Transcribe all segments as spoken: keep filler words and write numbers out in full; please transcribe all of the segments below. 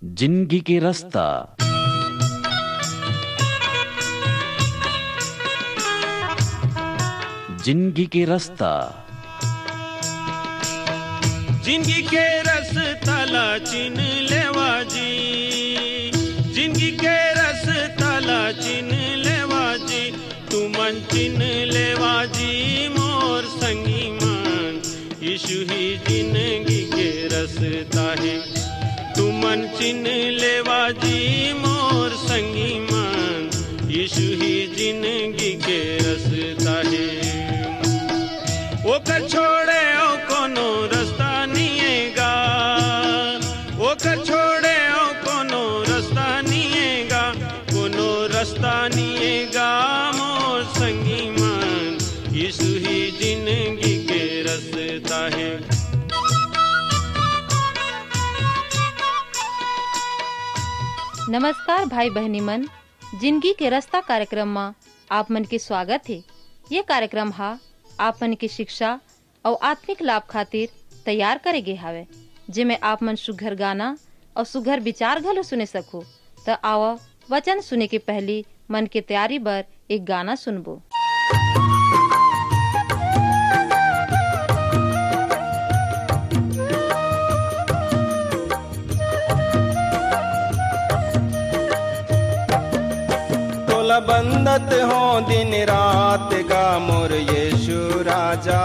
जिंदगी के रस्ता। जिंदगी के रस्ता। जिंदगी के रस्ता ला चिन लेवा जी, जिंदगी के रस्ता ला चिन लेवा जी, तुमन चिन लेवा जी मोर संगी मन, यीशु ही जिंदगी के रस्ता हे। तुमन चिन लेवा जी मोर संगी मन, यीशु ही जिंदगी के रस्ता हे। ओकर छोड़े अउ कोनो रस्ता निये गा, ओकर छोड़े अउ कोनो रस्ता निये गा, कोनो रस्ता निये गा मोर संगी मन, यीशु ही जिंदगी के रस्ता हे। नमस्कार भाई बहिनी मन, जिंदगी के रस्ता कार्यक्रम म आप मन के स्वागत हे। ये कार्यक्रम ह आप मन के शिक्षा अउ आत्मिक लाभ खातिर तैयार करे गे हावय, जेमे आप मन सुघर गाना अउ सुघर विचार घलो सुने सकहू। त आवा, वचन सुने के पहिली मन के तैयारी बर एक गाना सुनबो। तोला बंदत हो दिन रात गा मोर यीशु राजा,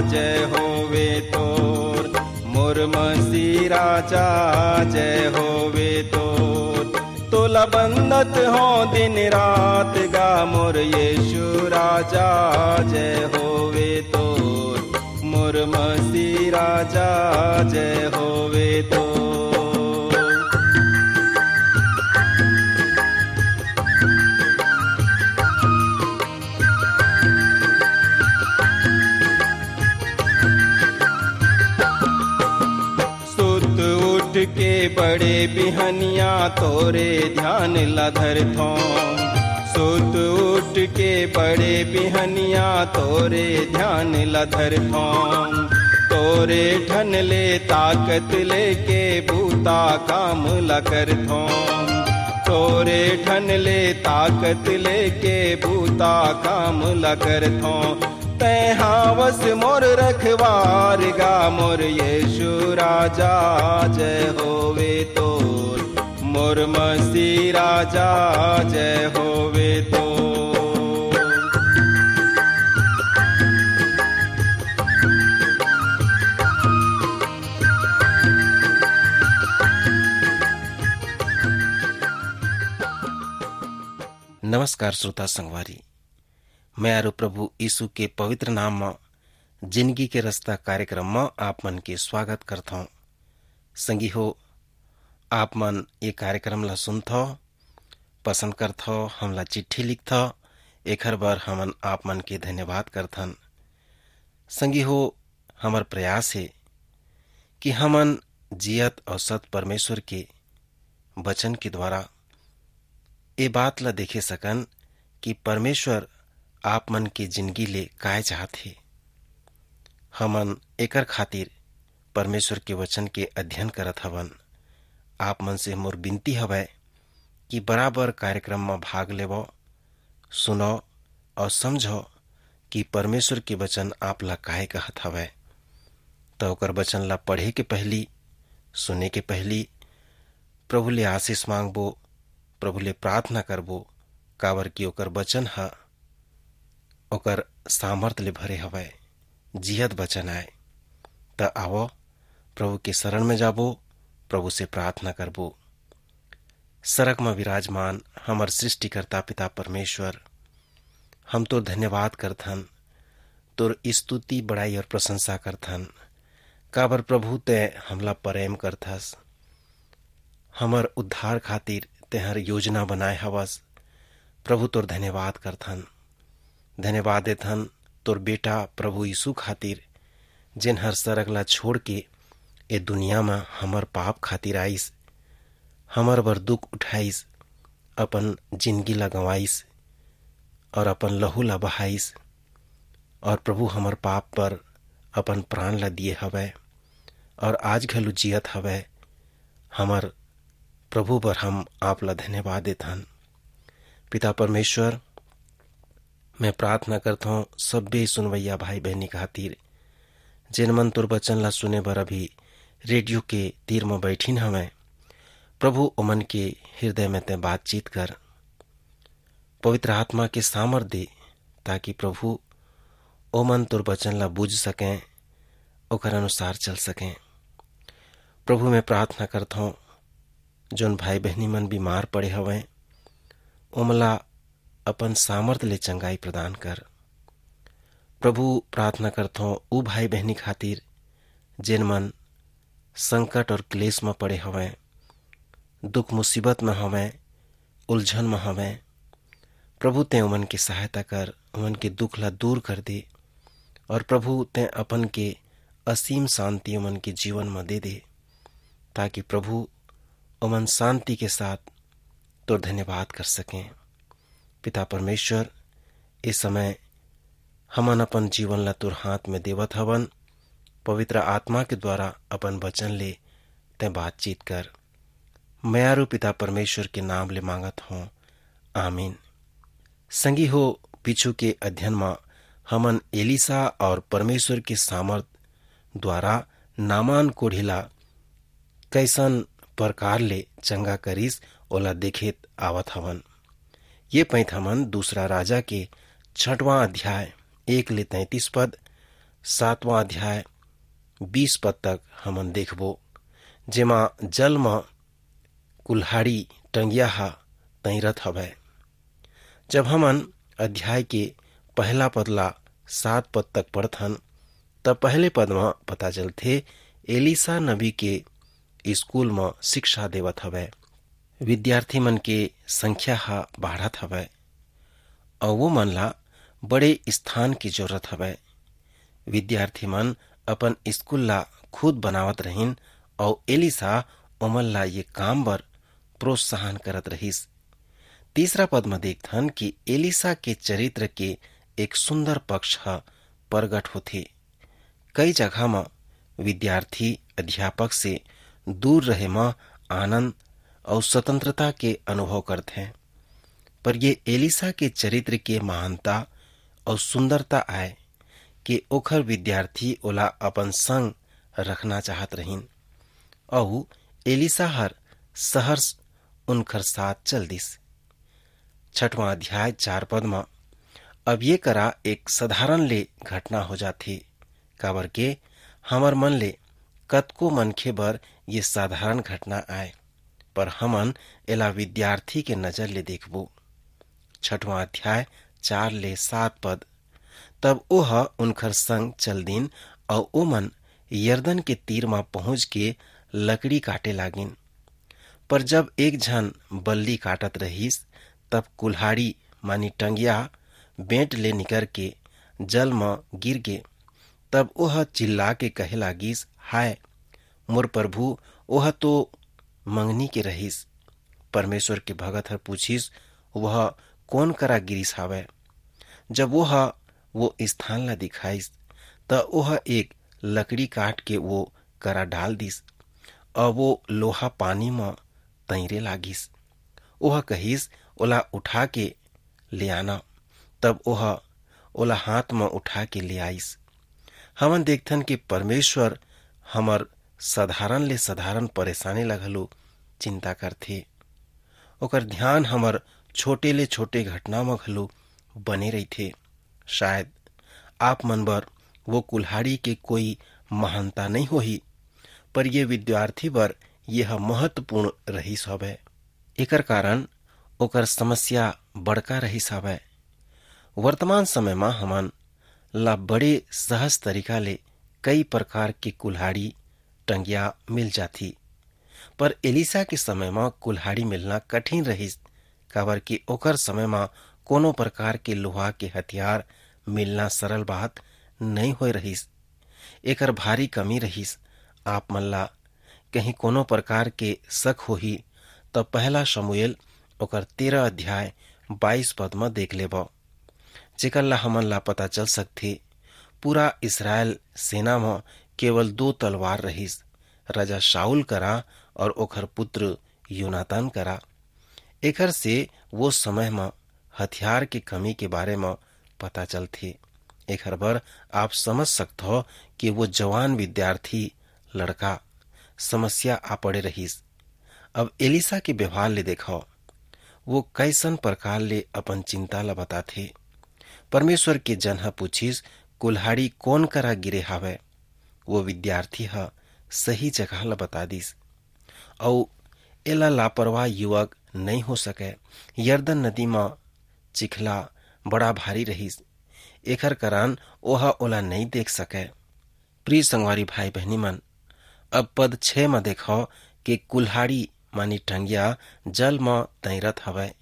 जय होवे तोर मोर मसीह राजा, जय होवे तोर। तोला बंदत हो दिन रात गा मोर यीशु राजा, जय होवे तोर मोर मसीह राजा, जय होवे तोर। सुत उठ के बड़े बिहनिया तोरे ध्यान ला धरथों। सुत उठ के बड़े बिहनिया तोरे ध्यान ला धरथों। तोरे ठन ले ताकत लेके बूता काम ला करथों। तोरे ठन ले ताकत लेके बूता काम ला करथों। तैं हावस मोर रखवार गा मोर यीशु राजा, जय होवे तोर मोर मसीह राजा, जय होवे तोर। नमस्कार श्रोता संगवारी, मैं आरो प्रभु यीशु के पवित्र नाम म जिंदगी के रस्ता कार्यक्रम म आप मन के स्वागत करथौं। संगी हो, आप मन ये कार्यक्रम ला सुनथव, पसंद करथव, हमला चिट्ठी लिखथव, एखर बर हमन आप मन के धन्यवाद करथन। संगी हो, हमर प्रयास हे कि हमन जियत अउ सत परमेश्वर के वचन के द्वारा ए बात ला देखे सकन कि परमेश्वर आप मन के जिंदगी ले काय चाहत हे। हमन एकर खातिर परमेश्वर के वचन के अध्ययन करत हवन। आप मन से मोर बिनती हवय कि बराबर कार्यक्रम म भाग लेवव, सुनव अउ समझव कि परमेश्वर के वचन आप ला काय कहत हवय। त ओकर वचन ला पढ़े के पहिली, सुने के पहिली प्रभु ले आशीष मांगबो, प्रभु ले प्रार्थना करबो, काबर कि ओकर वचन ह ओकर सामर्थ ले भरे हवय, जियत वचन आय। त आवो, प्रभु के शरण में जाबो, प्रभु से प्रार्थना करबो। सरग म विराजमान हमर सृष्टिकर्ता पिता परमेश्वर, हम तोर धन्यवाद करथन, तोर स्तुति, बड़ाई और प्रशंसा करथन, काबर प्रभु तैं हमला प्रेम करथस, हमर उद्धार खातिर तेहर योजना बनाए हवस। प्रभु तोर धन्यवाद करथन, धन्यवाद देथन तोर बेटा प्रभु यीशु खातिर, जेन हर सरग ला छोड़ के ए दुनिया म हमर पाप खातिर आइस, हमर बर दुख उठाइस, अपन जिंदगी ला गंवाइस और अपन लहू ला बहाइस, और प्रभु हमर पाप पर अपन प्राण ला दिए हवय और आज घलो जियत हवय, हमर प्रभु बर हम आप ला धन्यवाद देथन। पिता परमेश्वर, मैं प्रार्थना करथौं सब्बे सुनवइया भाई बहिनी खातिर, जेन मन तोर वचन ला सुने बर अभी रेडियो के तीर म बैठिन हवंय। प्रभु, ओमन के हृदय में तैं बातचीत कर, पवित्र आत्मा के सामर्थ दे, ताकि प्रभु, ओमन तोर वचन ला बूझ सकें, ओकर अनुसार चल सकें। प्रभु, मैं प्रार्थना करथौं, जोन भाई बहिनी मन बीमार पड़े हवंय, ओमन ला अपन सामर्थ ले चंगाई प्रदान कर। प्रभु, प्रार्थना करथौं ऊ भाई बहिनी खातिर, जेन मन संकट और क्लेश म पड़े हवंय, दुख मुसीबत म हवंय, उलझन म हवंय। प्रभु, तैं ओमन के सहायता कर, ओमन के दुख ला दूर कर दे, और प्रभु, तैं अपन के असीम शांति ओमन के जीवन म दे दे, ताकि प्रभु, ओमन शांति के साथ तोर धन्यवाद कर सकें। पिता परमेश्वर, ए समय हमन अपन जीवन ला तोर हाथ में देवत हवन। पवित्र आत्मा के द्वारा अपन वचन ले तैं बातचीत कर। मयारू पिता परमेश्वर के नाम ले मांगत हों, आमीन। संगी हो, पीछू के अध्ययन म हमन एलीसा और परमेश्वर के सामर्थ द्वारा नामान कोढ़ी ला कैसन प्रकार ले चंगा करिस, ओला देखेत आवत हवन। ये पैंत हमन दूसरा राजा के छठवां अध्याय एक ले तैंतीस पद, सातवां अध्याय बीस पद तक हमन देखबो, जेमा जल म कुल्हाड़ी टंगिया ह तैरत हवय। जब हमन अध्याय के पहला पद ला सात पद तक पढ़थन, त पहले पद म पता चलथे, एलीसा नबी के स्कूल म शिक्षा देवत हवय। विद्यार्थी मन के संख्या ह बाढ़त हवय, अउ वो मन ला बड़े स्थान की जरूरत हवय। विद्यार्थी मन अपन स्कूल ला खुद बनावत रहिन, अउ एलीसा ओमन ला ये काम बर प्रोत्साहन करत रहिस। तीसरा पद म देखथन कि एलीसा के चरित्र के एक सुंदर पक्ष ह प्रगट होथे। कई जगह म विद्यार्थी अध्यापक से दूर रहे म आनंद अउ स्वतंत्रता के अनुभव करथे, पर ये एलीसा के चरित्र के महानता अउ सुंदरता आय कि ओखर विद्यार्थी ओला अपन संग रखना चाहत रहिन, अउ एलीसा हर सहर्ष उनखर साथ चल दिस। छठवां अध्याय चार पद म अब ये करा एक साधारण ले घटना हो जाथे, काबर के हमर मन ले कतको मनखे बर ये साधारण घटना आय, पर हमन एला विद्यार्थी के नजर ले देखबो। छठवां अध्याय चार ले सात पद, तब ओह उनखर संग चल दिन, अउ ओमन यरदन के तीर म पहुंच के लकड़ी काटे लागिन। पर जब एक झन बल्ली काटत रहिस, तब कुल्हाड़ी मानी टंगिया बेंट ले निकर के जल म गिर गे। तब ओह चिल्ला के कहे लागिस, "हाय, मोर प्रभु, ओह तो मंगनी के रहिस।" परमेश्वर के भगत हर पूछिस, "वह कोन करा गिरिस हावय?" जब ओह वो स्थान ला दिखाइस, त ओह एक लकड़ी काट के वो करा डाल दिस, अउ वो लोहा पानी म तैरे लागिस। ओह कहिस, "ओला उठा के ले आना।" तब ओह ओला हाथ म उठा के ले आइस। हमन देखथन कि परमेश्वर हमर साधारण ले साधारण परेशानी ला घलो चिंता करथे। ओकर ध्यान हमर छोटे ले छोटे घटना म घलो बने रहिथे। शायद आप मन बर वो कुल्हाड़ी के कोई महानता नइ होही, पर ये विद्यार्थी बर यह महत्वपूर्ण रहिस हवय। एकर कारण ओकर समस्या बड़का रहिस हवय। वर्तमान समय म हमन ला बड़े सहज तरीका ले कई प्रकार के कुल्हाड़ी, टंगिया मिल जाथी, पर एलीसा के समय म कुल्हाड़ी मिलना कठिन रहिस, काबर कि ओकर समय म कोनो प्रकार के लोहा के हथियार मिलना सरल बात नइ होय रहिस। एकर भारी कमी रहिस। आप मन ला कहीं कोनो प्रकार के शक होही, त पहला शमूएल ओकर तेरह अध्याय बाईस पद म देख लेबव, जेकर ला हमन ला पता चल सकथे, पूरा इसरायल सेना म केवल दो तलवार रहिस, राजा शाऊल करा और ओकर पुत्र योनातान करा। एखर से वो समय म हथियार के कमी के बारे म पता चलथे। एखर बर आप समझ सकथव कि वो जवान विद्यार्थी लड़का समस्या आ पड़े रहिस। अब एलिसा के व्यवहार ले देखव, वो कैसन प्रकार ले अपन चिंता ला बताथे। परमेश्वर के जन ह पूछिस, "कुल्हाड़ी कोन करा गिरे हावय?" वो विद्यार्थी ह सही जगह ला बता दिस, "अऊ एला लापरवाह युवक नइ हो सकय। यरदन नदी म चिखला बड़ा भारी रहिस, एखर कारण ओह ओला नइ देख सकय।" प्रिय संगवारी भाई बहिनी मन, अब पद छह म देखव कि कुल्हाड़ी मानी टंगिया जल म तैरत हवय।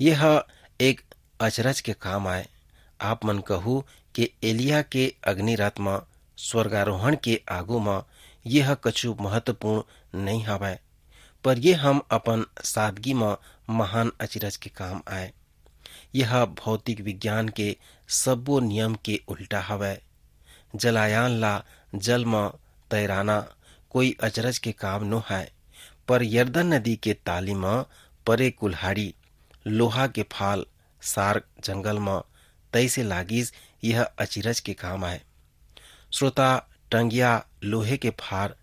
ये ह एक अचरज के काम आय। आप मन कहू कि एलिया के अग्नि रथ म स्वर्गारोहण के आगू म ये ह कछु महत्वपूर्ण नइ हवय, पर ये हम अपन सादगी म महान अचरज के काम आय। यह भौतिक विज्ञान के सब्बो नियम के उल्टा हवय। जलायान ला जल म तैराना कोई अचरज के काम नो हय, पर यरदन नदी के ताली म परे कुल्हाड़ी, लोहा के फाल, सार्क जंगल म तैसे लागिस, यह अचरज के काम आय। श्रोता, टंगिया लोहे के फार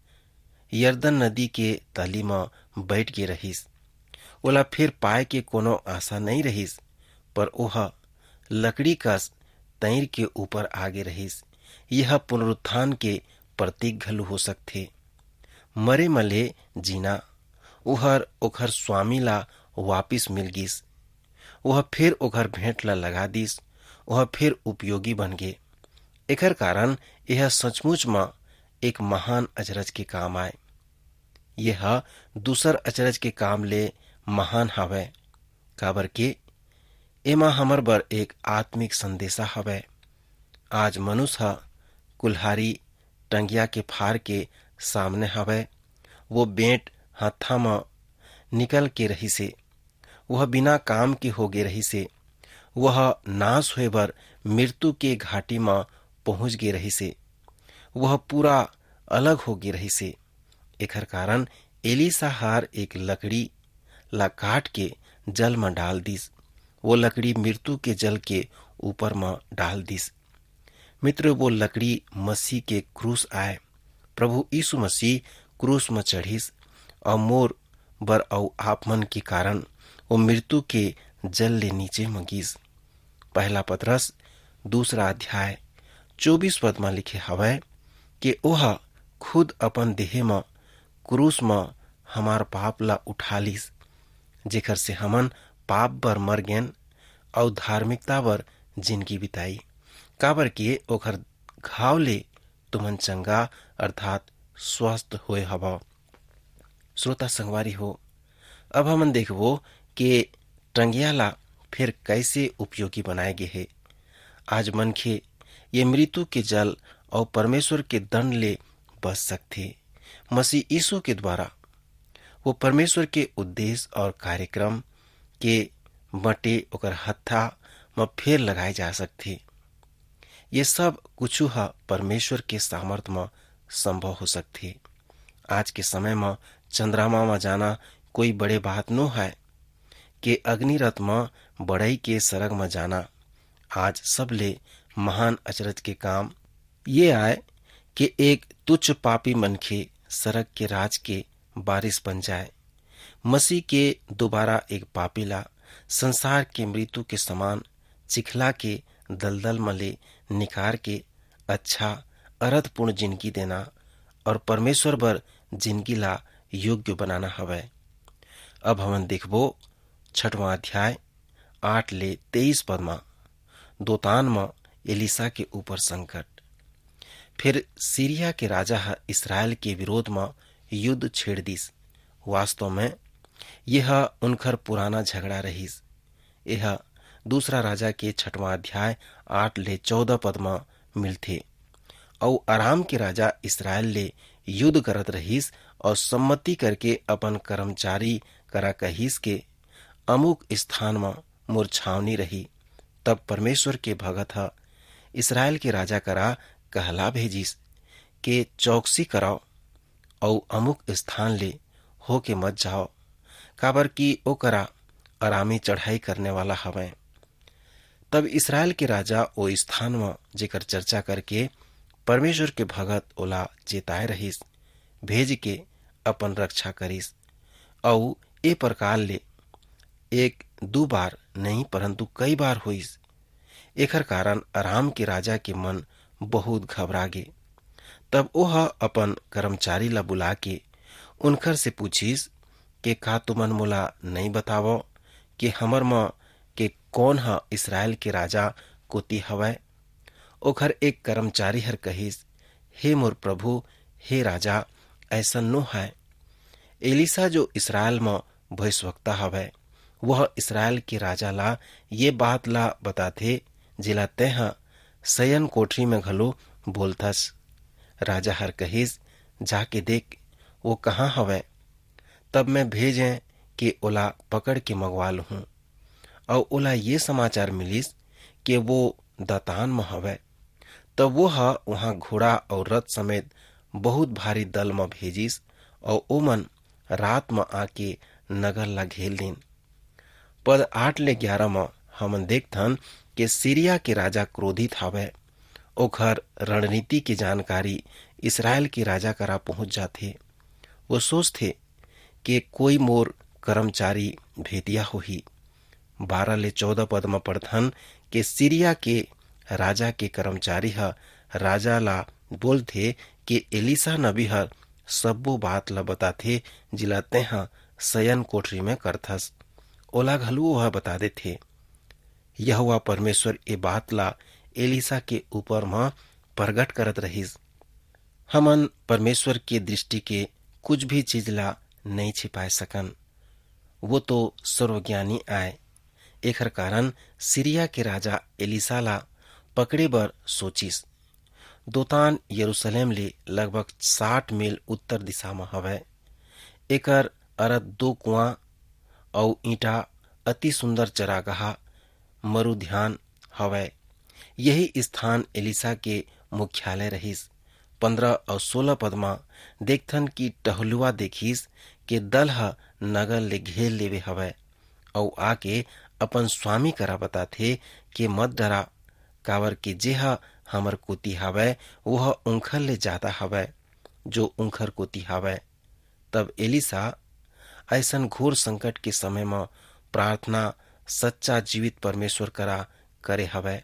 यरदन नदी के तली म बइठ गे रहिस। ओला फेर पाए के कोनो आशा नइ रहिस, पर ओह लकड़ी कस तैर के ऊपर आ गे रहिस। यह पुनरुत्थान के प्रतीक घलो हो सकथे। मरे म ले जीना, ओहर ओखर स्वामी ला वापिस मिल गिस। ओह फेर ओखर भेंट ला लगा दिस, ओह फेर उपयोगी बन गे। एखर कारण यह सचमुच म एक महान अचरज के काम आय। यह दूसर अचरज के काम ले महान हवय, काबर के एमा हमर बर एक आत्मिक संदेशा हवय। आज मनुष्य ह कुल्हारी टंगिया के फार के सामने हवय। वो बेंट हत्था म निकल के रहिसे, वह बिना काम के हो गे रहिसे, वह नाश होए बर मृत्यु के घाटी म पहुंच गे रहिसे, वह पूरा अलग हो गे रहिसे। एखर कारण एलीसा हर एक लकड़ी ला काट के जल म डाल दिस। वो लकड़ी मृत्यु के जल के ऊपर म डाल दिस। मित्र, वो लकड़ी मसीह के क्रूस आय। प्रभु यीशु मसीह क्रूस म चढ़िस अउ मोर बर अउ आप मन के कारण वो मृत्यु के जल ले नीचे म गिस। पहला पतरस दूसरा अध्याय चौबीस पद म लिखे हवय कि ओह खुद अपन देहे म क्रूस म हमार पाप ला उठा लिस, जेकर से हमन पाप बर मर गेन अउ धार्मिकता बर जिनगी बिताई, काबर के ओखर घाव ले तुमन चंगा अर्थात स्वस्थ होए हवव। श्रोता संगवारी हो, अब हमन देखबो के टंगिया ला फिर कैसे उपयोगी बनाए गे हे। आज मनखे ये मृत्यु के जल अउ परमेश्वर के दंड ले बच सकथे। मसीह यीशु के द्वारा वो परमेश्वर के उद्देश्य और कार्यक्रम के बटे ओकर हत्था म फेर लगाए जा सकथे। ये सब कुछु ह परमेश्वर के सामर्थ म संभव हो सकथे। आज के समय म चंद्रमा म जाना कोई बड़े बात नो हय, के अग्नि रथ म बड़ई के सरग म जाना आज सबले महान अचरज के काम ये आय के एक तुच्छ पापी मनखे सरग के राज के बारिश बन जाए। मसीह के दोबारा एक पापी ला संसार के मृत्यु के समान चिखला के दलदल म ले निकार के अच्छा अरथपूर्ण जिनगी देना और परमेश्वर बर जिनगी ला योग्य बनाना हवय। अब हमन देखबो छठवां अध्याय आठ ले तेईस पद म दोतान म एलीसा के ऊपर संकट। फिर सीरिया के राजा ह इसराइल के विरोध म युद्ध छेड़ दिस। वास्तव में यह उनकर पुराना झगड़ा रहिस। यह दूसरा राजा के छठवां अध्याय आठ ले चौदह पद म मिलथे। अउ अराम के राजा इसराइल ले युद्ध करत रहिस अउ सम्मति करके अपन कर्मचारी करा कहिस के अमुक स्थान म मोर छावनी रही। तब परमेश्वर के भगत ह इसराइल के राजा करा कहला भेजिस के चौकसी करव अउ अमुक स्थान ले होके मत जाव। काबर कि ओ करा अरामी चढ़ाई करने वाला हवय। तब इसरायल के राजा ओ स्थान म, जेकर चर्चा करके परमेश्वर के भगत ओला चेताए रहिस, भेज के अपन रक्षा करिस। अऊ ए प्रकार ले एक दू बार नहीं, परंतु कई बार होइस। एखर कारण अराम के राजा के मन बहुत घबरा गे। तब ओह अपन कर्मचारी ला बुला के उनकर से पूछिस के, "का तुमन मोला नई बतावव के हमर म के कौन ह इसरायल के राजा कोति हवय?" ओखर एक कर्मचारी हर कहिस, "हे मोर प्रभु, हे राजा, ऐसन नो हय। एलीसा जो इसरायल म भविष्यवक्ता हवय, वह इसरायल के राजा ला ये बात ला बताथे, जेला तेंह शयन कोठरी में घलो बोलथस।" राजा हर कहिस, "जाके देख, वो कहाँ हवय?" तब मैं भेजें कि ओला पकड़ के मंगवा लूहूं। अऊ ओला ये समाचार मिलिस कि वो दतान म हवय। तब वो ह उहां घोड़ा अऊ रथ समेत बहुत भारी दल म भेजिस, अऊ ओमन रात म आके नगर ला घेर लीन। पद आठ ले ग्यारह म हमन देखथन कि सीरिया के राजा क्रोधित हावय। ओखर रणनीति के जानकारी इसरायल के राजा करा पहुंच जाथे। वो सोचथे कि कोई मोर कर्मचारी भेदिया होही। बारह ले चौदह पद म पढ़थन कि सीरिया के राजा के कर्मचारी ह राजा ला बोलथे कि एलीसा नबी ह सब्बो बात ला बताथे, जिला तेंह शयन कोठरी में करथस। ओला घलो ओह बता देथे। यहोवा परमेश्वर ए बात ला एलीसा के ऊपर म प्रगट करत रहिस। हमन परमेश्वर के दृष्टि के कुछ भी चीज ला नई छिपाए सकन। वो तो सर्वज्ञानी आय। एखर कारण सीरिया के राजा एलीसा ला पकड़े बर सोचिस। दोतान यरूशलेम ले लगभग साठ मील उत्तर दिशा म हवय। एकर अरथ दो कुआं अउ ईंटा, अति सुंदर चरागाह, मरुध्यान हवय। यही स्थान एलीसा के मुख्यालय रहिस। पंद्रह अउ सोलह पद म देखथन कि टहलुआ देखिस के दल ह नगर ले घेर लेवे हवय, अउ आके अपन स्वामी करा बताथे कि मत डरा, काबर कि जेह हमर कोति हवय, वह उंखर ले जादा हवय, जो उंखर कोति हवय। तब एलीसा अइसन घोर संकट के समय म प्रार्थना सच्चा जीवित परमेश्वर करा करे हवय,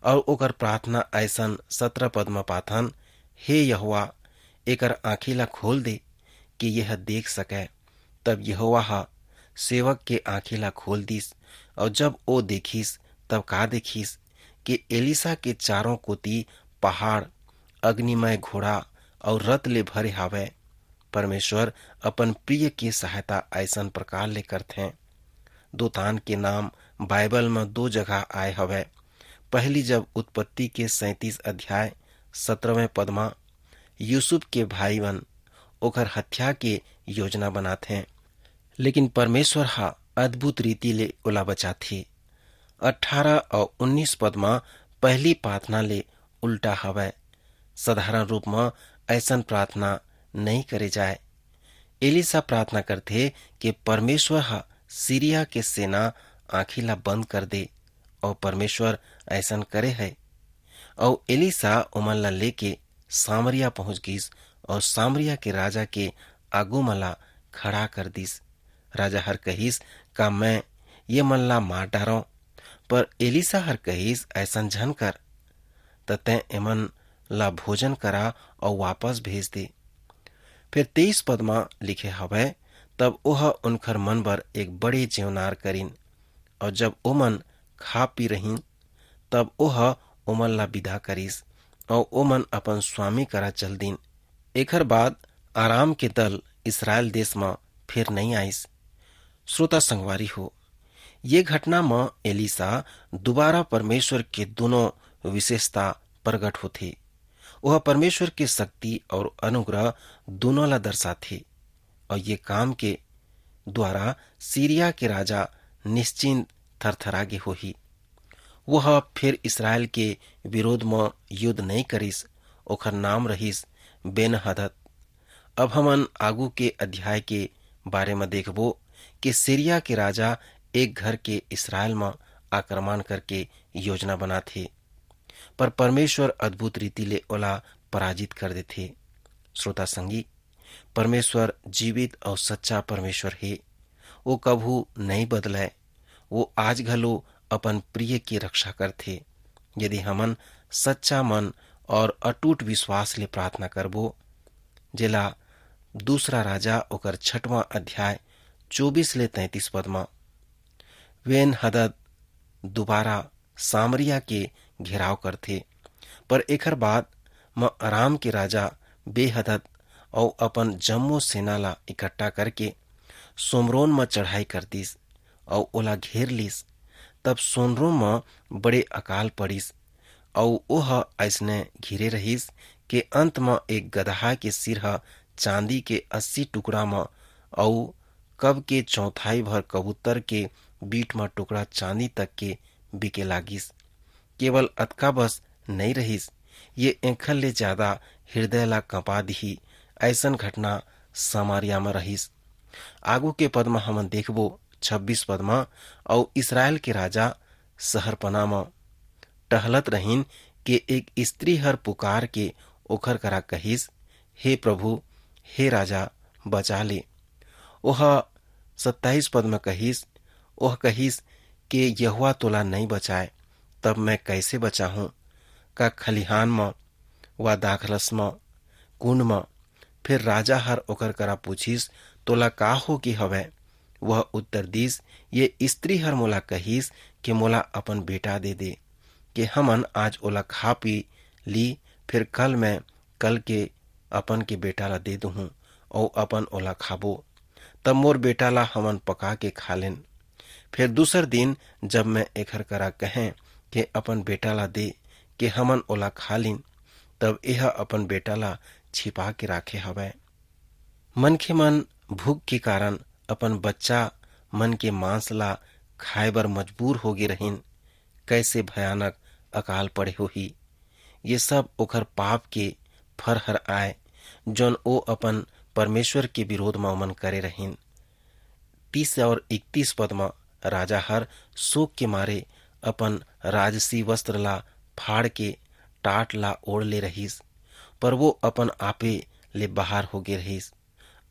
अउ ओकर प्रार्थना अइसन सत्रह पद म पाथन, "हे यहोवा, एकर आँखी ला खोल दे कि यह देख सकय।" तब यहोवा ह सेवक के आँखी ला खोल दिस, अउ जब ओ देखिस, तब का देखिस कि एलीसा के चारों कोति पहाड़, अग्निमय घोड़ा अउ रथ ले भरे हावय। परमेश्वर अपन प्रिय के सहायता अइसन प्रकार ले करथे। दोतान के नाम बाइबल म दो जगह आए हवय। पहली जब उत्पत्ति के सैंतीस अध्याय सत्रहवें पद म यूसुफ के भाईमन ओकर हत्या के योजना बनाथे, लेकिन परमेश्वर ह अद्भुत रीति ले ओला बचाथे। अठारह अउ उन्नीस पद म पहली प्रार्थना ले उल्टा हवय। साधारण रूप म अइसन प्रार्थना नइ करे जाय। एलीसा प्रार्थना करथे कि परमेश्वर ह सीरिया के सेना आँखी ला बंद कर दे, अउ परमेश्वर अइसन करे हे। अउ एलीसा ओमन ला लेके सामरिया पहुंच गिस, अउ सामरिया के राजा के आगू म ला खड़ा कर दिस। राजा हर कहिस, "का मैं ये मन ला मार डारंव?" पर एलीसा हर कहिस, "अइसन झन कर, त तैं एमन ला भोजन करा अउ वापस भेज दे।" फिर तेईस पद म लिखे हवय, "तब ओह उनखर मन बर एक बड़े जेवनार करिन, अउ जब ओमन खा पी रहिन, तब ओह ओमन ला विदा करिस, अउ ओमन अपन स्वामी करा चल दिन। एखर बाद आराम के दल इसरायल देश म फिर नइ आइस।" श्रोता संगवारी हो, ये घटना म एलीसा दोबारा परमेश्वर के दोनों विशेषता प्रगट होथे। वह परमेश्वर के शक्ति और अनुग्रह दोनों ला दर्शाथे, और ये काम के द्वारा सीरिया के राजा निश्चिंत थरथरा गे होही। वह फिर इसरायल के विरोध म युद्ध नइ करिस। ओखर नाम रहिस बेनहदद। अब हमन आगू के अध्याय के बारे म देखबो, कि सीरिया के राजा एक घर के इसरायल म आक्रमण करके योजना बनाथे, पर परमेश्वर अद्भुत रीति ले ओला पराजित कर देथे। श्रोता संगी, परमेश्वर जीवित अउ सच्चा परमेश्वर हे। वो कभू नइ बदलय। वो आज घलो अपन प्रिय के रक्षा करथे। यदि हमन सच्चा मन और अटूट विश्वास ले प्रार्थना करबो, जेला दूसरा राजा ओकर छठवां अध्याय चौबीस ले तैंतीस पद म, वेन हदद दोबारा सामरिया के घेराव करथे, पर एखर बाद म अराम के राजा बेहदद अउ अपन जम्मो सेना ला इकट्ठा करके सोमरोन म चढ़ाई कर दिस अउ ओला घेर लिस। तब सोमरोन म बड़े अकाल पड़िस अउ ओह अइसने घिरे रहिस के अंत म एक गदहा के सिर ह चांदी के अस्सी टुकड़ा म अउ कब के चौथाई भर कबूतर के बीट म टुकड़ा चांदी तक के बिके लागिस। केवल अतका बस नइ रहिस, ये एखर ले ज्यादा हृदय ला कंपा दिही, अइसन घटना सामरिया म रहिस। आगू के पद म हमन देखबो, छब्बीस पद म, अउ इसरायल के राजा सहरपना म टहलत रहिन के एक स्त्री हर पुकार के ओखर करा कहिस, "हे प्रभु, हे राजा, बचा ले।" ओह सत्ताईस पद म कहिस, ओह कहिस के यहोवा तोला नइ बचाए, तब मैं कैसे बचाहूं? का खलिहान म, वा दाखरस म, कुंड म? फिर राजा हर ओकर करा पूछिस, "तोला का हो गे हवय?" वह उत्तर दिस, "ये स्त्री हर मोला कहिस कि मोला अपन बेटा दे दे, कि हमन आज ओला खा पी ली, फिर कल मैं कल के अपन के बेटा ला दे दूहूं, अउ अपन ओला खाबो। तब मोर बेटा ला हमन पका के खा लेन। फिर दूसर दिन जब मैं एखर करा कहें कि अपन बेटा ला दे, कि हमन ओला खा लिन, तब एह अपन बेटा ला छिपा के राखे हवय।" मनखे मन भूख के कारण अपन बच्चा मन के मांस ला खाए बर मजबूर हो गे रहिन। कैसे भयानक अकाल पड़े होही। ये सब ओखर पाप के फर हर आय, जौन ओ अपन परमेश्वर के विरोध म ओमन करे रहिन। तीस और इकतीस पद म राजा हर शोक के मारे अपन राजसी वस्त्र ला फाड़ के टाट ला ओढ़ ले रहिस, पर वो अपन आपे ले बाहर हो गे रहिस।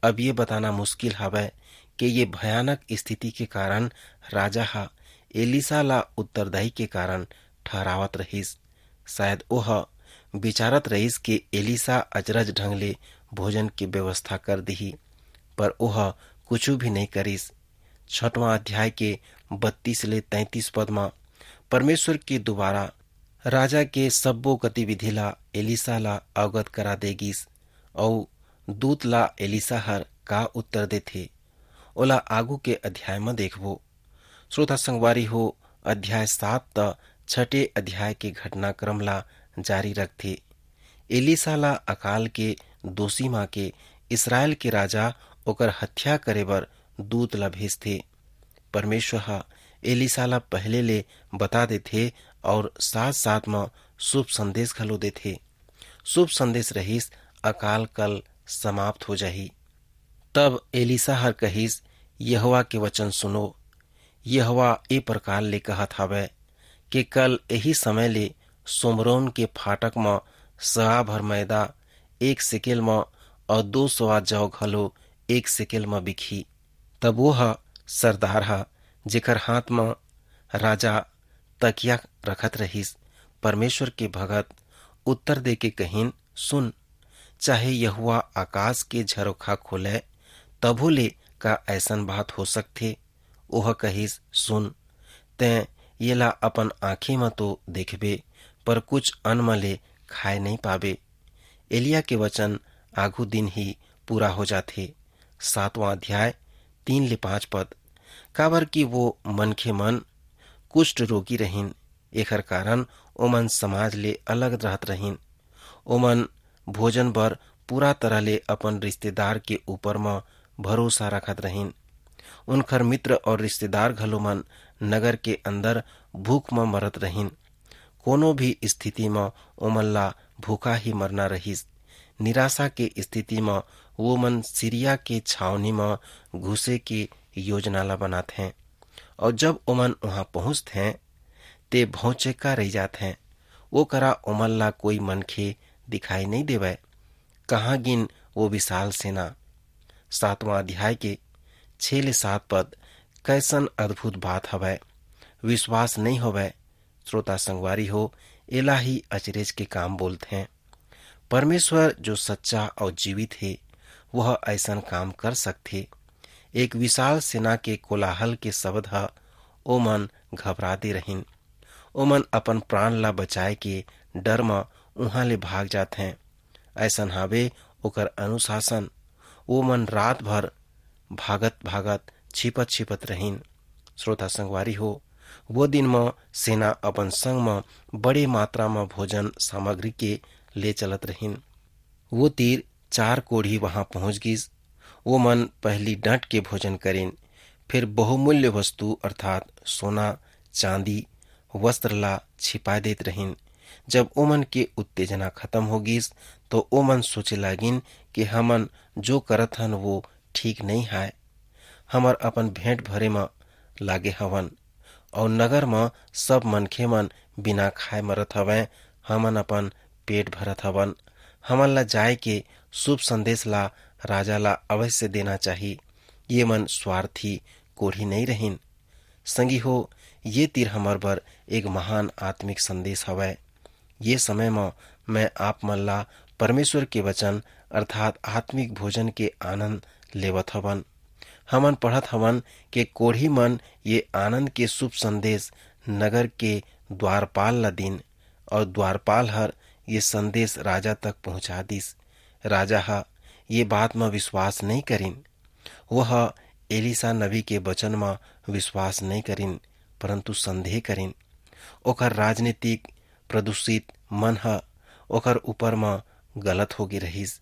अब ये बताना मुश्किल हवय कि ये भयानक स्थिति के कारण राजा ह एलीसा ला उत्तरदायी के कारण ठहरावत रहिस। शायद ओह विचारत रहिस कि एलीसा अचरज ढंग ले भोजन के व्यवस्था कर दिही, पर ओह कुछु भी नइ करिस। छठवां अध्याय के बत्तीस ले तैंतीस पद म परमेश्वर के दुवारा राजा के सब्बो गतिविधि ला एलीसा ला अवगत करा दे गिस, अऊ दूत ला एलीसा हर का उत्तर देथे, ओला आगू के अध्याय म देखबो। श्रोता संगवारी हो, अध्याय सात त छठे अध्याय के घटनाक्रम ला जारी रखथे। एलीसा ला अकाल के दोषी मा के इसरायल के राजा ओकर हत्या करे बर दूत ला भेजथे। परमेश्वर ह एलीसा ला पहले ले बता देथे और साथ-साथ म शुभ संदेश घलो देथे। शुभ संदेश रहिस, अकाल कल समाप्त हो जाही। तब एलीसा हर कहिस, "यहोवा के वचन सुनो। यहोवा ए प्रकार ले कहत हवय कि कल एही समय ले सोमरोन के फाटक म सवा भर मैदा एक सेकेल म और दो सवा जौ घलो एक सेकेल म बिकही।" तब वो ह सरदार ह, जेकर हाथ म राजा तकिया रखत रहिस, परमेश्वर के भगत उत्तर दे के कहिन, "सुन, चाहे यहोवा आकाश के झरोखा खोले, तभो ले का ऐसन बात हो सकथे?" ओह कहिस, "सुन, तैं येला अपन आँखी म तो देखबे, पर कुछ अन्न म ले खाए नइ पाबे।" एलिया के वचन आघू दिन ही पूरा हो जाथे। सातवां अध्याय, तीन ले पाँच पद। काबर कि वो मनखे मन कुष्ठ रोगी रहिन, एखर कारण ओमन समाज ले अलग रहत रहिन। ओमन भोजन बर पूरा तरह ले अपन रिश्तेदार के ऊपर म भरोसा रखत रहिन। उनखर मित्र और रिश्तेदार घलो मन नगर के अंदर भूख म मरत रहिन। कोनो भी स्थिति म ओमन ला भूखा ही मरना रहिस। निराशा के स्थिति म वो मन सीरिया के छावनी म घुसे के योजना ला बनाथे। और जब ओमन वहां पहुंचथे, ते भौचक्का रहि जाथे। वो करा ओमन ला कोई मनखे दिखाई नहीं देवय। कहाँ गिन वो विशाल सेना? सातवां अध्याय के छह ले सात पद, कैसन अद्भुत बात हवय, विश्वास नहीं होवय। श्रोता संगवारी हो, एला ही अचरेज के काम बोलथे। परमेश्वर जो सच्चा और जीवित हे, वह ऐसन काम कर सकथे। एक विशाल सेना के कोलाहल के शब्द ह ओमन घबरा दे रहिन। ओमन अपन प्राण ला बचाए के डर म उहां ले भाग जाथें। ऐसन हावे ओकर अनुशासन। ओमन रात भर भागत भागत, छिपत छिपत रहिन। श्रोता संगवारी हो, वो दिन म सेना अपन संग म बड़े मात्रा म भोजन सामग्री के ले चलत रहिन। वो तीर चार कोढ़ी वहां पहुंच गिस। वो मन पहली डट के भोजन करिन, फिर बहुमूल्य वस्तु अर्थात सोना, चांदी, वस्त्र ला छिपा देत रहिन। जब ओमन के उत्तेजना खत्म हो गिस, तो ओमन सोचे लागिन कि हमन जो करत हन, वो ठीक नहीं हाय। हमर अपन भेंट भरे म लागे हवन, और नगर म सब मनखे मन बिना खाए मरत हवंय, हमन अपन पेट भरत हवन। हमन ला जाए के शुभ संदेश ला राजा ला अवश्य देना चाही। ये मन स्वार्थी कोढ़ी नहीं रहिन। संगी हो, ये तीर हमर बर एक महान आत्मिक संदेश हवय। ये समय म मैं आप मन ला परमेश्वर के वचन अर्थात आत्मिक भोजन के आनंद लेवत हवन। हमन पढ़त हवन के कोढ़ी मन ये आनंद के शुभ संदेश नगर के द्वारपाल ला दिन, और द्वारपाल हर ये संदेश राजा तक पहुंचा दिस। राजा ह ये बात म विश्वास नहीं करिन। वह एलीसा नबी के वचन म विश्वास नहीं करिन, परंतु संदेह करिन। ओकर राजनीतिक प्रदूषित मन ह ओकर ऊपर म गलत होगे रहिस।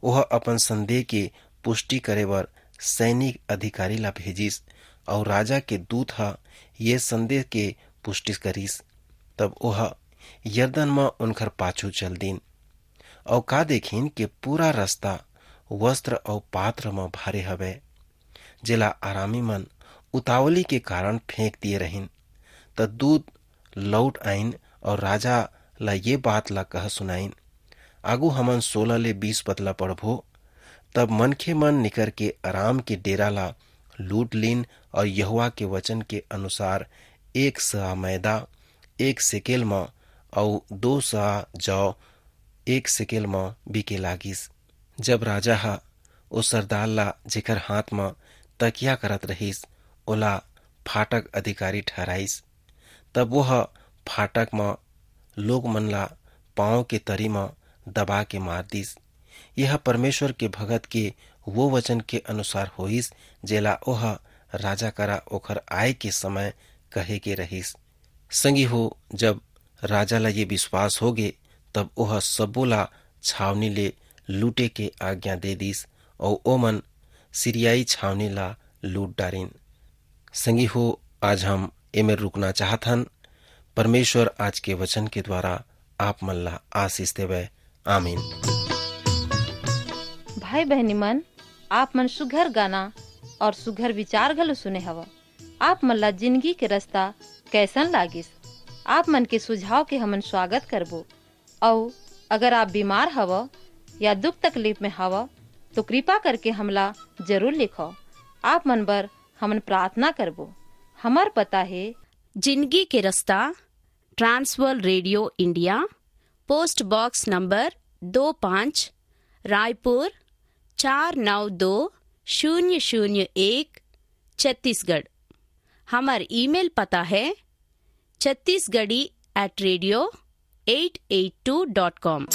ओह अपन संदेह के पुष्टि करे बर सैनिक अधिकारी ला भेजिस, अउ राजा के दूत ह ये संदेह के पुष्टि करिस। तब ओह यरदन म उनकर पाछू चल दीन, अउ का देखिन के पूरा रस्ता वस्त्र अउ पात्र म भरे हवय, जेला अरामी मन उतावली के कारण फेंक दिए रहिन। त दूत लौट आइन अउ राजा ला ये बात ला कह सुनाइन। आगू हमन सोलह ले बीस पद ला पढ़बो। तब मनखे मन निकर के अराम के डेरा ला लूट लीन अउ यहोवा के वचन के अनुसार एक सआ मैदा, एक सेकेल म, अउ दो सआ जौ एक सेकेल म बिके लागिस। जब राजा ह ओ सरदार ला, जेकर हाथ म तकिया करत रहिस, ओला फाटक अधिकारी ठहराइस, तब वह फाटक म लोग मन ला पांव के तरी म दबा के मार दिस। यह परमेश्वर के भगत के वो वचन के अनुसार होइस, जेला ओह राजा करा ओखर आय के समय कहे के रहिस। संगी हो, जब राजा ला ये विश्वास होगे, तब ओह सब्बो ला छावनी ले लूटे के आज्ञा दे दिस, अउ ओमन सीरियाई छावनी ला लूट डारिन। संगी हो, आज हम एमेर रुकना चाहत हन। परमेश्वर आज के वचन के द्वारा आप मन ला आशीष देवय। आमीन। भाई बहनी मन, आप मन सुघर गाना और सुघर विचार घलो सुने हव। आप मन ला जिंदगी के रास्ता कैसन लागिस? आप मन के सुझाव के हमन स्वागत करबो। अउ अगर आप बीमार हव या दुख तकलीफ में हव, तो कृपा करके हमला जरूर लिखव। आप मन बर हमन प्रार्थना करबो। हमर पता हे। जिंदगी के रास्ता, Trans World radio India, post box number दो पाँच, रायपुर चार नौ दो शून्य शून्य एक, छत्तीसगढ़। हमर ईमेल पता हे Chhattisgarhi at radio eight eight two dot com।